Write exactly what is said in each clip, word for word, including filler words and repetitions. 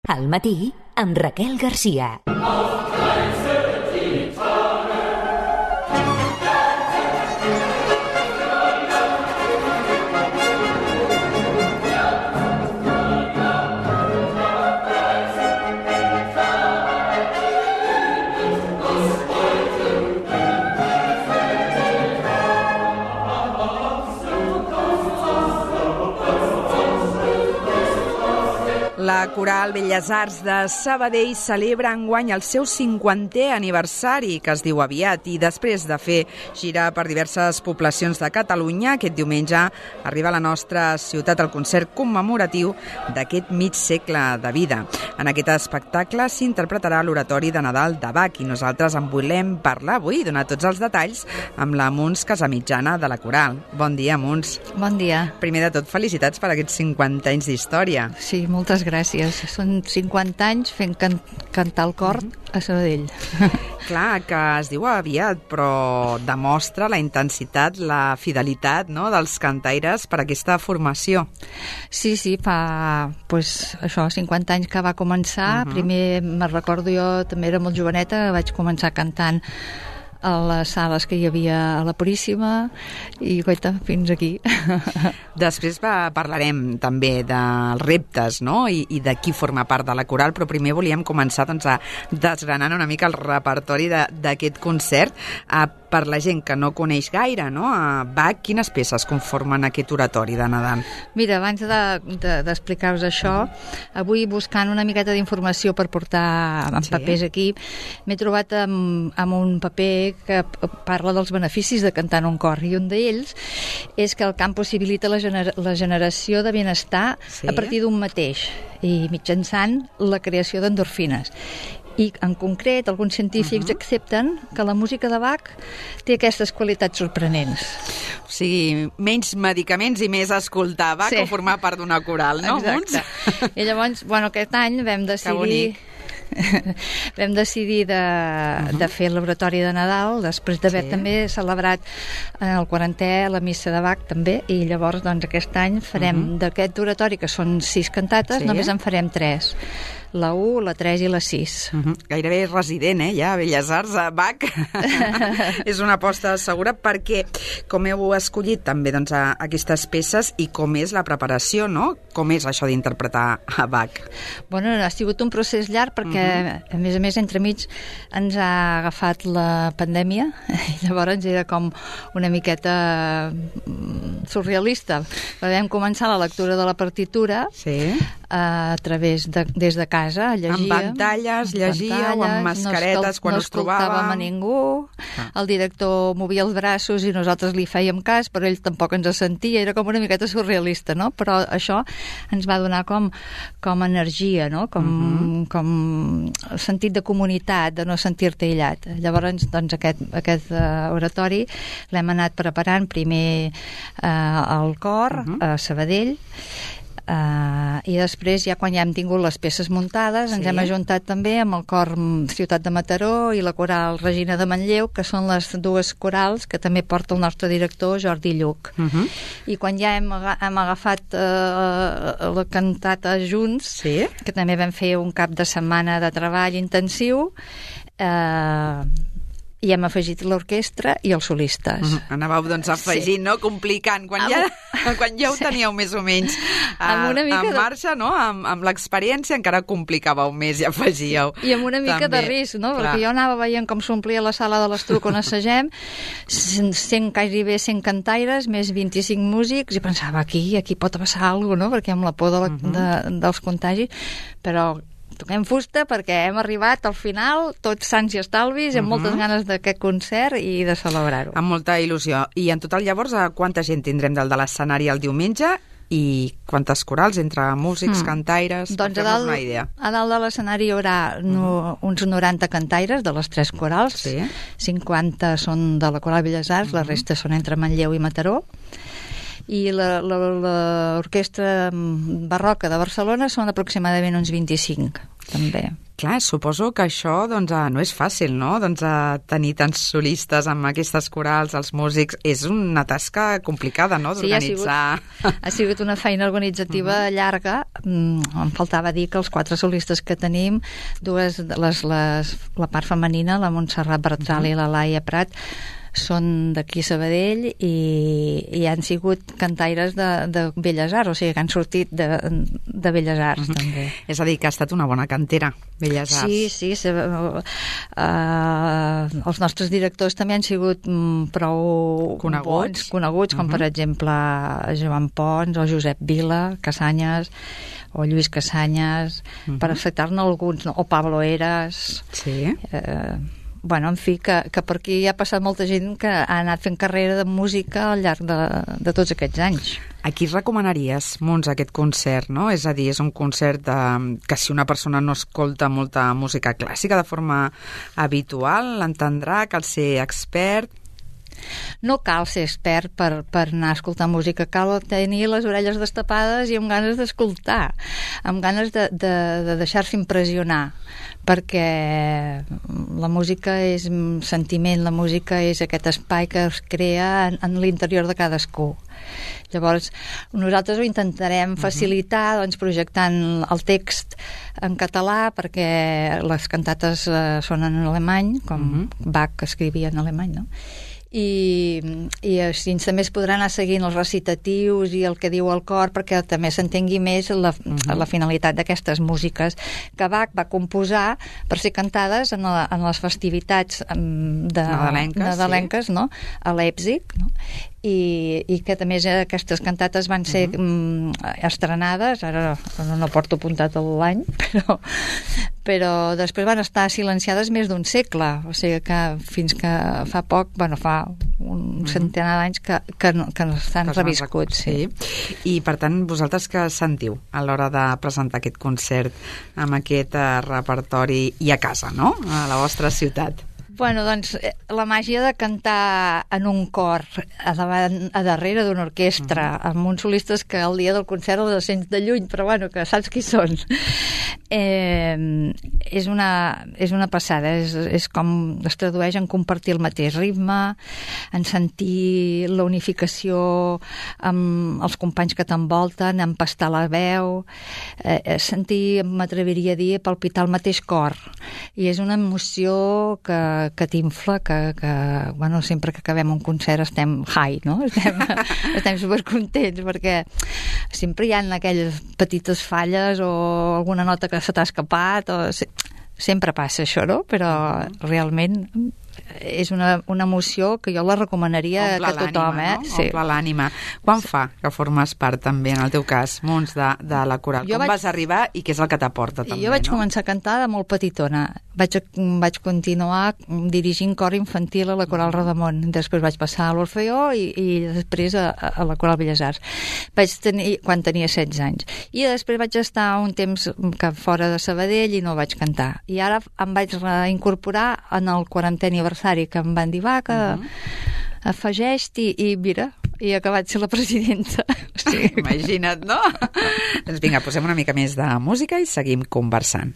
Al matí, amb Raquel Garcia. La Coral Belles Arts de Sabadell celebra enguany el seu cinquantè aniversari, que es diu aviat, i després de fer gira per diverses poblacions de Catalunya, aquest diumenge arriba a la nostra ciutat el concert commemoratiu d'aquest mig segle de vida. En aquest espectacle s'interpretarà l'oratori de Nadal de Bach i nosaltres en volem parlar avui i donar tots els detalls amb la Muns Casamitjana de la Coral. Bon dia, Muns. Bon dia. Primer de tot, felicitats per aquests cinquanta anys d'història. Sí, moltes gràcies. Gràcies. Són cinquanta anys fent can cantar el cor a Sabadell. Clar, que es diu aviat, però demostra la intensitat, la fidelitat, no?, dels cantaires per aquesta formació. Sí, sí, fa pues, això, cinquanta anys que va començar. Uh-huh. Primer, me recordo jo, també era molt joveneta, vaig començar cantant a les sales que hi havia a la Puríssima i, goita, fins aquí. Després va, parlarem també dels reptes, no?, I, i de qui forma part de la coral, però primer volíem començar doncs, a desgranant una mica el repertori d'aquest concert. A, per la gent que no coneix gaire, no?, a Bach, quines peces conformen aquest oratori de Nadal? Mira, abans d'explicar-vos de, de, això, avui buscant una miqueta d'informació per portar en sí. papers aquí, m'he trobat amb, amb un paper que parla dels beneficis de cantar en un cor, i un d'ells és que el cant possibilita la, gener la generació de benestar sí. a partir d'un mateix i mitjançant la creació d'endorfines. I, en concret, alguns científics uh-huh. accepten que la música de Bach té aquestes qualitats sorprenents. O sigui, menys medicaments i més escoltar Bach sí. o formar part d'una coral, no? Exacte. I llavors, bueno, aquest any vam decidir... vam decidir de, uh-huh. de fer l'oratori de Nadal després d'haver sí. també celebrat en el quarantè la missa de Bach també, i llavors doncs aquest any farem uh-huh. d'aquest oratori, que són sis cantates, sí. només en farem tres, la u, la tres i la sis. Uh-huh. Gairebé resident, eh, ja, a Belles Arts, a Bach. És una aposta segura, perquè com heu escollit també doncs, a, aquestes peces i com és la preparació, no? Com és això d'interpretar a Bach? Bueno, ha sigut un procés llarg perquè, uh-huh. a més a més, entremig ens ha agafat la pandèmia i llavors era com una miqueta surrealista. Vam començar la lectura de la partitura sí. a través de, des de casa, llegíem. Amb pantalles, llegíeu, amb mascaretes, no quan no us trobàvem. No escoltàvem a ningú, ah. el director movia els braços i nosaltres li fèiem cas, però ell tampoc ens sentia, era com una miqueta surrealista, no? Però això ens va donar com, com energia, no? Com, uh-huh. com sentit de comunitat, de no sentir-te aïllat. Llavors, doncs, aquest, aquest uh, oratori l'hem anat preparant primer uh, al cor, uh-huh. a Sabadell, Uh, i després, ja quan ja hem tingut les peces muntades, sí. ens hem ajuntat també amb el cor Ciutat de Mataró i la coral Regina de Manlleu, que són les dues corals que també porta el nostre director Jordi Lluc. Uh-huh. I quan ja hem, hem agafat uh, la cantata junts, sí. que també vam fer un cap de setmana de treball intensiu, eh... Uh, i hem afegit l'orquestra i els solistes. Uh-huh. Anàveu, doncs, afegint, sí. no? Complicant. Quan, ja, quan ja ho teníeu sí. més o menys uh, en marxa, de... no? Amb, amb l'experiència encara complicàveu més i afegíeu. I amb una mica també. de risc, no? Clar. Perquè jo anava veient com s'omplia la sala de l'Estruc on assagem, cent, quasi bé cent cantaires, més vint-i-cinc músics, i pensava, aquí, aquí pot passar alguna cosa, no? Perquè amb la por de la, uh-huh. de, dels contagis, però toquem fusta perquè hem arribat al final tots sants i estalvis i amb uh-huh. moltes ganes d'aquest concert i de celebrar-ho. Amb molta il·lusió. I en total, llavors, quanta gent tindrem del de l'escenari el diumenge i quantes corals entre músics, mm. cantaires? Doncs a dalt, una idea. A dalt de l'escenari hi haurà no, uh-huh. uns noranta cantaires de les tres corals, sí. cinquanta són de la Coral Belles Arts, uh-huh. la resta són entre Manlleu i Mataró. I l'orquestra barroca de Barcelona són aproximadament uns vint-i-cinc, també. Clar, suposo que això doncs, no és fàcil, no? Doncs, tenir tants solistes amb aquestes corals, els músics, és una tasca complicada, no?, d'organitzar. Sí, ha sigut, ha sigut una feina organitzativa uh-huh. llarga. Em faltava dir que els quatre solistes que tenim, dues, les, les, la part femenina, la Montserrat Bertral uh-huh. i la Laia Prat, són d'aquí Sabadell i, i han sigut cantaires de, de Belles Arts, o sigui que han sortit de, de Belles Arts, uh-huh. també. És a dir, que ha estat una bona cantera, Belles Arts. Sí, sí. sí uh, uh, els nostres directors també han sigut um, prou coneguts, bons, coneguts com uh-huh. per exemple Joan Pons o Josep Vila, Casanyes, o Lluís Casanyes, uh-huh. per acceptar-ne alguns, no? O Pablo Eras. Sí. Eh, bueno, en fi, que, que per aquí ha passat molta gent que ha anat fent carrera de música al llarg de, de tots aquests anys. A qui recomanaries, Montse, aquest concert, no? És a dir, és un concert de, que si una persona no escolta molta música clàssica de forma habitual, l'entendrà, cal ser expert. No cal ser expert per, per anar a escoltar música, cal tenir les orelles destapades i amb ganes d'escoltar, amb ganes de, de, de deixar-se impressionar, perquè la música és sentiment, la música és aquest espai que es crea en, en l'interior de cadascú. Llavors, nosaltres ho intentarem facilitar, doncs, projectant el text en català, perquè les cantates eh, són en alemany, com uh-huh. Bach escrivia en alemany, no? I, i així també es podran anar seguint els recitatius i el que diu el cor perquè també s'entengui més la, uh-huh. la finalitat d'aquestes músiques que Bach va composar per ser cantades en, la, en les festivitats de, nadalenques, nadalenques sí. no? A Leipzig, no? I, i que també aquestes cantates van ser uh-huh. estrenades, ara no, no porto apuntat l'any, però, però després van estar silenciades més d'un segle, o sigui que fins que fa poc, bueno, fa un uh-huh. centenar d'anys que, que, que s'han reviscut. Sí. sí. I per tant, vosaltres què sentiu a l'hora de presentar aquest concert amb aquest uh, repertori i a casa, no?, a la vostra ciutat? Bueno, doncs, la màgia de cantar en un cor a, davant, a darrere d'una orquestra, uh-huh. amb uns solistes que el dia del concert els sents de lluny, però bueno, que saps qui són. Eh, és, una, és una passada, és, és com es tradueix en compartir el mateix ritme, en sentir la unificació amb els companys que t'envolten, empastar la veu, eh, sentir, m'atreviria a dir, palpitar el mateix cor. I és una emoció que que t'infla, que, que bueno, sempre que acabem un concert estem high, no? Estem, estem supercontents, perquè sempre hi ha aquelles petites falles o alguna nota que se t'ha escapat, o sempre passa això, no? Però realment és una, una emoció que jo la recomanaria Omple que tothom, eh? No? Sí. Omple l'ànima. Quan fa que formes part també, en el teu cas, Mons, de, de la coral? Jo Com vaig... vas arribar i què és el que t'aporta també, Jo vaig no? començar a cantar de molt petitona. Vaig, vaig continuar dirigint cor infantil a la Coral Rodamont. Després vaig passar a l'Orfeó i, i després a, a la Coral Belles Arts. Vaig tenir, quan tenia setze anys. I després vaig estar un temps que fora de Sabadell i no vaig cantar. I ara em vaig reincorporar en el quarantè aniversari, que em van dir, va, que uh-huh. afegeix-t'hi, i mira, i he acabat ser la presidenta. Sí. Imagina't, no? Doncs vinga, posem una mica més de música i seguim conversant.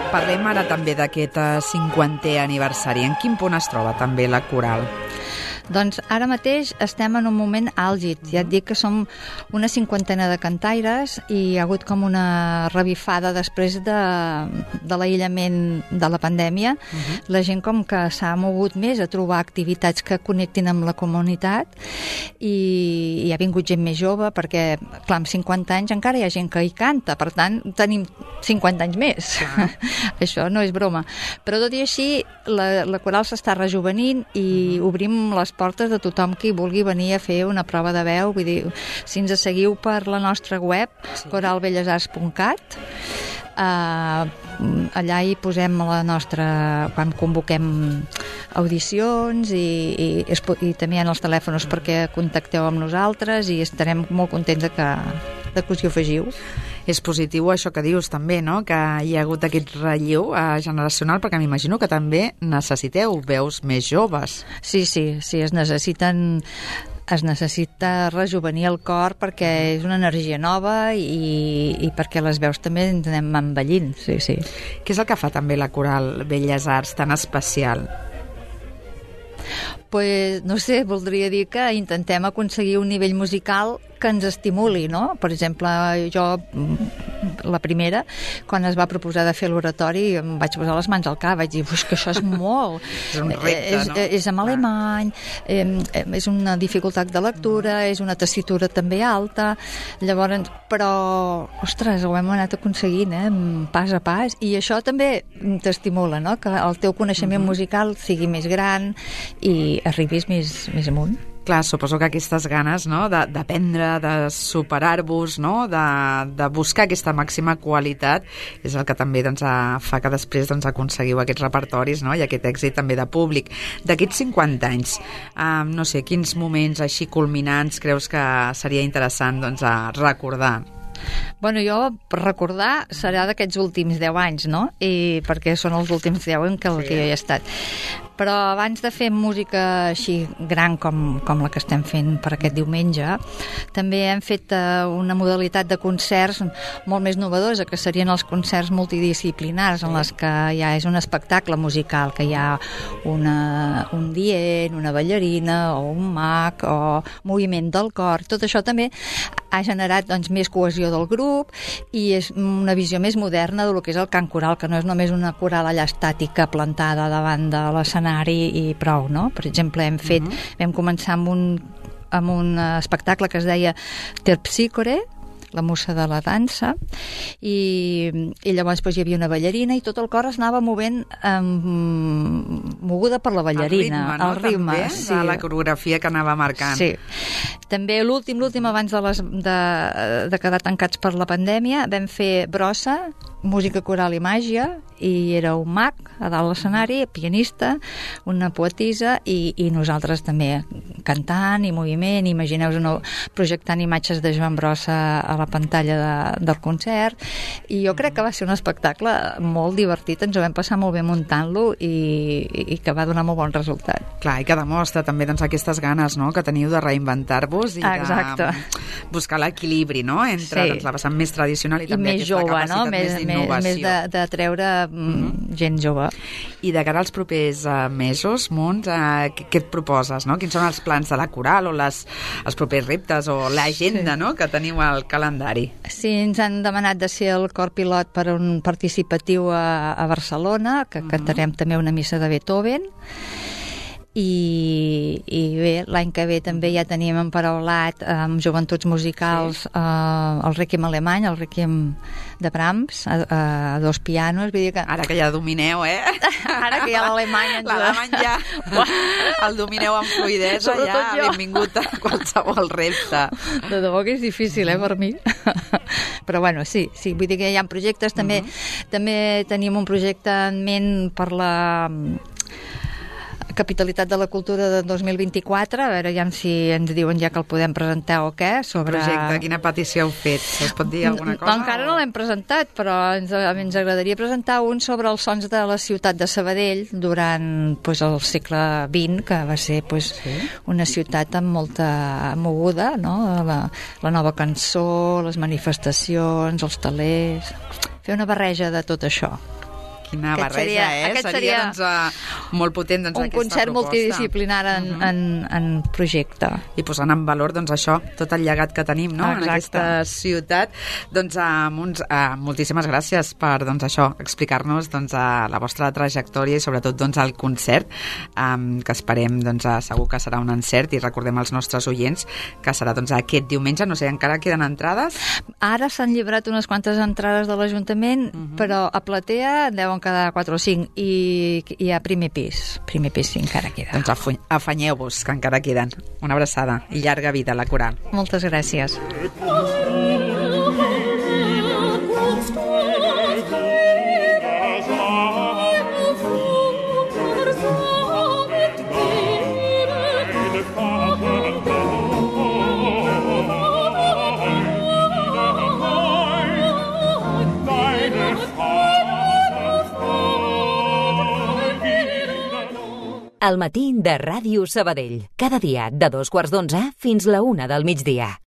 Parlem ara també d'aquest cinquantè aniversari. En quin punt es troba també la coral? Doncs ara mateix estem en un moment àlgid. Ja et dic que som una cinquantena de cantaires i hi ha hagut com una revifada després de, de l'aïllament de la pandèmia. Uh-huh. La gent com que s'ha mogut més a trobar activitats que connectin amb la comunitat i hi ha vingut gent més jove perquè, clar, amb cinquanta anys encara hi ha gent que hi canta, per tant tenim cinquanta anys més. Uh-huh. Això no és broma. Però tot i així la, la coral s'està rejuvenint i uh-huh. obrim les portes de tothom qui vulgui venir a fer una prova de veu. Vull dir, si ens seguiu per la nostra web, sí. coral belles arts punt cat, Uh, allà hi posem la nostra, quan convoquem audicions i, i, i també hi ha els telèfons perquè contacteu amb nosaltres i estarem molt contents de que, de que us hi afegiu. És positiu això que dius també, no? Que hi ha hagut aquest relleu eh, generacional, perquè m'imagino que també necessiteu veus més joves. Sí, sí, sí, es necessiten es necessita rejuvenir el cor perquè és una energia nova i, i perquè les veus també ens anem envellint, sí, sí. Què és el que fa també la coral Belles Arts tan especial? Pues, no sé, voldria dir que intentem aconseguir un nivell musical que ens estimuli, no? Per exemple, jo, la primera, quan es va proposar de fer l'oratori, em vaig posar les mans al cap, vaig dir, que això és molt... és un repte, és, no? És en alemany, eh, és una dificultat de lectura, és una tessitura també alta, llavors, però, ostres, ho hem anat aconseguint, eh, pas a pas, i això també t'estimula, no? Que el teu coneixement uh-huh. musical sigui més gran i arribis més, més amunt. Clar, suposo que aquestes ganes, no?, d'aprendre, de, de superar-vos, no?, de, de buscar aquesta màxima qualitat, és el que també doncs, fa que després doncs, aconseguiu aquests repertoris, no?, i aquest èxit també de públic. D'aquests cinquanta anys, eh, no sé, quins moments així culminants creus que seria interessant doncs, a recordar? Bueno, jo, per recordar, serà d'aquests últims deu anys, no? I perquè són els últims deu en què, sí. que jo hi he estat. Però abans de fer música així gran com, com la que estem fent per aquest diumenge, també hem fet uh, una modalitat de concerts molt més novedosa, que serien els concerts multidisciplinars, en les que ja és un espectacle musical, que hi ha una, un dient, una ballarina, o un mag, o moviment del cor. Tot això també ha generat doncs, més cohesió del grup i és una visió més moderna del que és el cant coral, que no és només una coral allà estàtica plantada davant de l'escenari i prou, no? Per exemple, hem fet, uh-huh. vam començar amb un, amb un espectacle que es deia Terpsícore, la musa de la dansa, i, i llavors doncs, hi havia una ballarina i tot el cor es anava movent um, moguda per la ballarina. El ritme, no? El ritme, també, sí. de la coreografia que anava marcant. Sí. També l'últim, l'últim abans de, les, de, de quedar tancats per la pandèmia, vam fer brossa, música coral i màgia, i era un mag a dalt l'escenari, pianista, una poetisa i, i nosaltres també cantant i moviment, imagineu-vos no, projectant imatges de Joan Brossa a la pantalla de, del concert, i jo crec que va ser un espectacle molt divertit, ens ho vam passar molt bé muntant-lo i, i que va donar molt bon resultat. Clar, i que demostra també doncs, aquestes ganes, no?, que teniu de reinventar-vos i Exacte. de buscar l'equilibri, no?, entre sí. doncs, la vessant més tradicional i, I també més aquesta jove, capacitat no? més d'innovació. Més de, de treure mm-hmm. gent jove. I de cara als propers uh, mesos, Munt, uh, què, què et proposes, no? Quins són els plans de la coral o les, els propers reptes o l'agenda, sí. no?, que teniu al calendari? Sí, ens han demanat de ser el cor pilot per un participatiu a, a Barcelona, que uh-huh. cantarem també una missa de Beethoven. I, i bé, l'any que ve també ja tenim emparaulat amb joventuts musicals sí. uh, el Requiem alemany, el Requiem de Brahms, a, a dos pianos. Vull dir que... Ara que ja domineu, eh? Ara que ja l'alemany... Ens... L'alemany ja el domineu amb fluïdesa, ja jo. Benvingut a qualsevol repte. De debò que és difícil, eh, per mi. Però bueno, sí, sí, vull dir que hi ha projectes, també, uh-huh. també tenim un projecte en ment per la Capitalitat de la Cultura de dos mil vint-i-quatre, a veure ja si ens diuen ja que el podem presentar o què, sobre... Projecte, quina petició heu fet? Es pot dir alguna cosa? No, encara o... no l'hem presentat, però ens, ens agradaria presentar un sobre els sons de la ciutat de Sabadell durant pues, el segle vint, que va ser pues, sí. una ciutat amb molta moguda, no? La, la nova cançó, les manifestacions, els talers... Fer una barreja de tot això. Quina aquest barreja, seria, eh? Aquest seria, seria doncs, uh, molt potent, doncs, un aquesta concert proposta. multidisciplinar en, uh -huh. en, en projecte. I posant en valor, doncs, això, tot el llegat que tenim, no?, Exacte. en aquesta ciutat. Doncs, uh, uns, uh, moltíssimes gràcies per, doncs, això, explicar-nos, doncs, uh, la vostra trajectòria i, sobretot, doncs, el concert, um, que esperem, doncs, uh, segur que serà un encert, i recordem als nostres oients que serà, doncs, aquest diumenge. No sé, encara queden entrades? Ara s'han lliurat unes quantes entrades de l'Ajuntament, uh -huh. però a platea deuen quedar quatre o cinc, i, i a primer pis. Primer pis sí, encara queda. Doncs afanyeu-vos, que encara queden. Una abraçada i llarga vida a la coral. Moltes gràcies. El matí de Ràdio Sabadell. Cada dia de dos quarts d'onze fins la una del migdia.